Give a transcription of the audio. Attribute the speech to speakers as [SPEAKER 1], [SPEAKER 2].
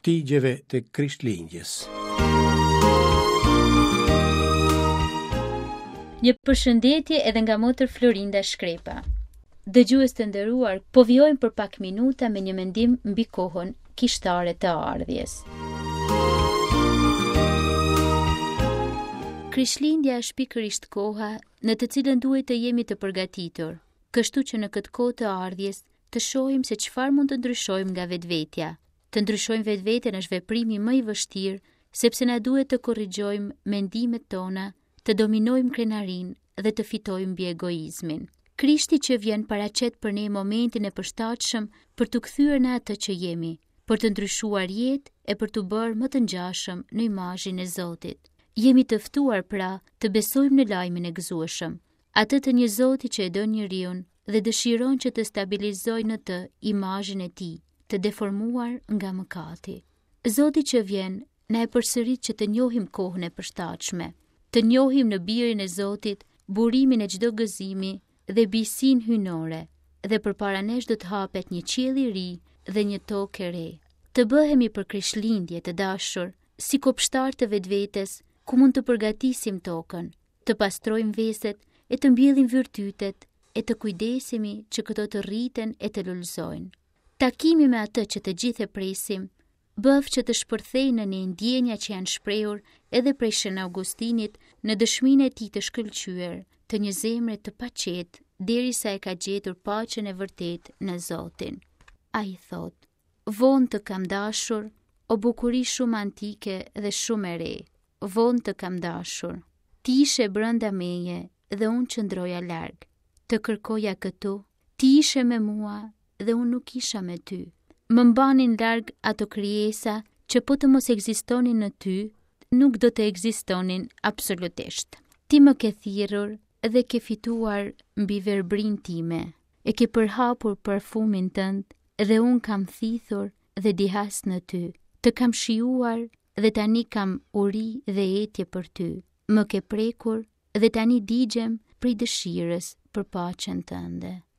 [SPEAKER 1] Shtigjeve të Krishtlindjes.
[SPEAKER 2] Një përshëndetje edhe nga motër Florinda Shkrepa. Dëgjues të nderuar, po vijojmë për pak minuta me një mendim mbi kohën kishtare të ardhjes. Krishtlindja është pikërisht koha në të cilën duhet të jemi të përgatitur, kështu që në këtë kohë të ardhjes të shohim se çfarë mund të ndryshojmë nga vetvetja. Të ndryshojmë vetveten është veprimi më i vështirë, sepse na duhet të korrigjojmë mendimet tona, të dominojmë krenarinë dhe të fitojmë mbi egoizmin. Krishti që vjen paraqet për ne momentin e përshtatshëm për t'u kthyer në atë që jemi, për të ndryshuar jetë e për t'u bërë më të ngjashëm në imazhin e Zotit. Jemi të ftuar pra të besojmë në lajmin e gëzueshëm, atë të një Zoti që e do njeriun dhe dëshiron që të stabilizojë në të imazhin e tij, të deformuar nga mëkati. Zoti që vjen na e përsërit që të njohim kohën e përshtatshme, të njohim në birin e Zotit burimin e çdo gëzimi dhe bijësinë hyjnore, dhe përpara nesh do të hapet një qiell i ri dhe një tokë e re. Të bëhemi për Krishtlindje të dashur, si kopshtarë të vetvetes, ku mund të përgatisim tokën, të pastrojmë veset e të mbjellim virtytet e të kujdesemi që këto të rriten e të lulëzojnë. Takimi me atë që të gjithë e presim, bëftë që të shpërthejë në ne ndjenja që janë shprehur edhe prej Shën Augustinit në dëshminë e tij të shkëlqyer, të një zemre të paqetë derisa e ka gjetur paqen e vërtetë në Zotin. Ai thotë: Vonë të kam dashur, o bukuri shumë antike dhe shumë e re. Vonë të kam dashur. Ti ishe brenda meje dhe unë qëndroja larg. Të kërkoja këtu, ti ishe me mua dhe unë nuk isha me ty. Më mbanin larg ato krijesa që po të mos ekzistonin në ty, nuk do të ekzistonin absolutisht. Ti më ke thirrur dhe ke fituar mbi verbërinë time, e ke përhapur parfumin tënd dhe unë kam thithur dhe dihas në ty. Të kam shijuar dhe tani kam uri dhe etje për ty. Më ke prekur dhe tani digjem prej dëshirës për paqen tënde.